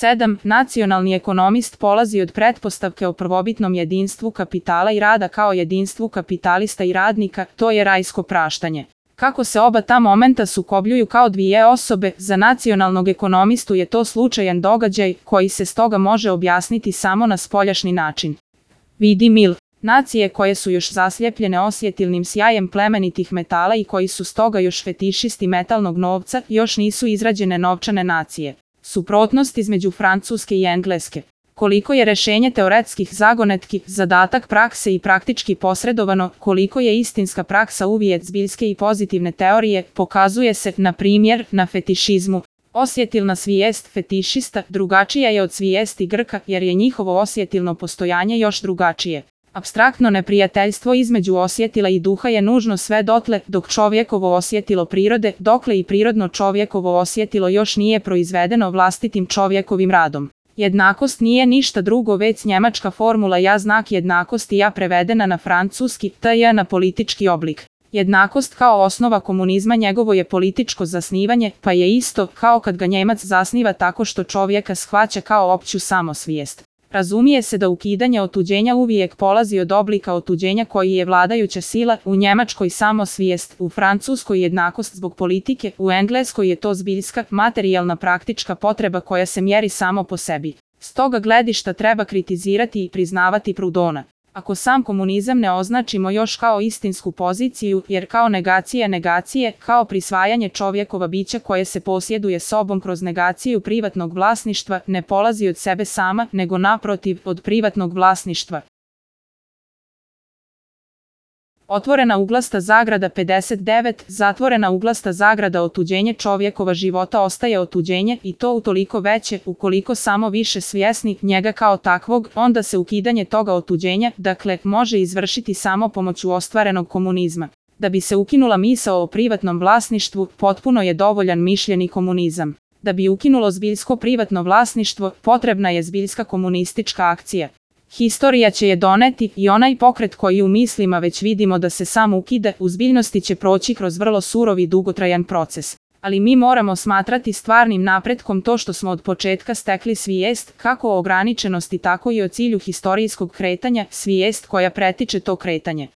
7. Nacionalni ekonomist polazi od pretpostavke o prvobitnom jedinstvu kapitala i rada kao jedinstvu kapitalista i radnika, to je rajsko praštanje. Kako se oba ta momenta sukobljuju kao dvije osobe, za nacionalnog ekonomistu je to slučajan događaj koji se stoga može objasniti samo na spoljašnji način. Vidi Mill. Nacije koje su još zasljepljene osjetilnim sjajem plemenitih metala i koji su stoga još fetišisti metalnog novca, još nisu izrađene novčane nacije. Suprotnost između Francuske i Engleske. Koliko je rešenje teoretskih zagonetki, zadatak prakse i praktički posredovano, koliko je istinska praksa uvijek zbiljske i pozitivne teorije, pokazuje se, na primjer, na fetišizmu. Osjetilna svijest fetišista drugačija je od svijesti Grka jer je njihovo osjetilno postojanje još drugačije. Apstraktno neprijateljstvo između osjetila i duha je nužno sve dotle dok čovjekovo osjetilo prirode, dokle i prirodno čovjekovo osjetilo još nije proizvedeno vlastitim čovjekovim radom. Jednakost nije ništa drugo već njemačka formula ja znak jednakosti ja prevedena na francuski, tj na politički oblik. Jednakost kao osnova komunizma njegovo je političko zasnivanje, pa je isto kao kad ga Njemac zasniva tako što čovjeka shvaća kao opću samosvijest. Razumije se da ukidanje otuđenja uvijek polazi od oblika otuđenja koji je vladajuća sila, u Njemačkoj samosvijest, u Francuskoj jednakost zbog politike, u Engleskoj je to zbiljska, materijalna praktička potreba koja se mjeri samo po sebi. S toga gledišta treba kritizirati i priznavati Proudhona. Ako sam komunizam ne označimo još kao istinsku poziciju, jer kao negacija negacije, kao prisvajanje čovjekova bića koje se posjeduje sobom kroz negaciju privatnog vlasništva, ne polazi od sebe sama, nego naprotiv, od privatnog vlasništva. Otvorena uglasta zagrada 59, zatvorena uglasta zagrada otuđenje čovjekova života ostaje otuđenje i to utoliko veće, ukoliko samo više svjesni njega kao takvog, onda se ukidanje toga otuđenja, dakle, može izvršiti samo pomoću ostvarenog komunizma. Da bi se ukinula misao o privatnom vlasništvu, potpuno je dovoljan mišljeni komunizam. Da bi ukinulo zbiljsko privatno vlasništvo, potrebna je zbiljska komunistička akcija. Historija će je doneti i onaj pokret koji u mislima već vidimo da se sam ukida, u zbiljnosti će proći kroz vrlo surov i dugotrajan proces. Ali mi moramo smatrati stvarnim napretkom to što smo od početka stekli svijest, kako o ograničenosti tako i o cilju historijskog kretanja, svijest koja pretiče to kretanje.